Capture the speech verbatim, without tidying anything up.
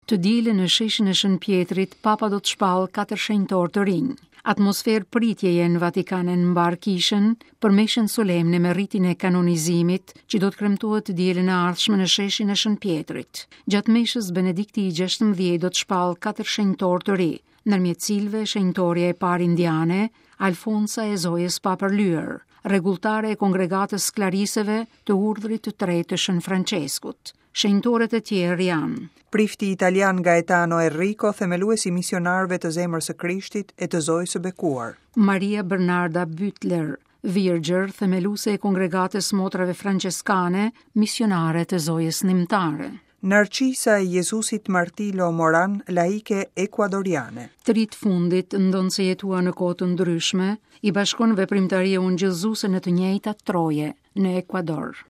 Të dielën në sheshin e Shën Pjetrit, Papa do të shpallë katër shenjtorë të rinj. Atmosferë pritjeje në Vatikan e në mbarë kishën për meshën solemne me ritin e kanonizimit që do të kremtohet të dielën e ardhshme në sheshin e Shën Pjetrit. Gjatë meshës Benedikti i gjashtëmbëdhjetë do të shpallë katër shenjtorë të ri, ndërmjet cilëve shenjtorja e parë indiane, Alfonsa e Zojës Papërlyer, rregulltare e kongregatës Klariseve të urdhrit të tretë të Shën Franceskut. Shenjtorët e tjerë janë Prifti italian Gaetano Errico, themelues i misionarëve të Zemrës së Krishtit e të Zojës së Bekuar. Maria Bernarda Bütler, Virgjër, themeluese e kongregatës Motrave Franceskane, misionare të Zojës Nimtare. Narcisa e Jezusit Martilo Moran, laike ekuadoriane. Tri të fundit, ndonëse jetuan në kohë të ndryshme, i bashkon veprimtaria ungjillëzuese në të njëjtat troje në Ekuador.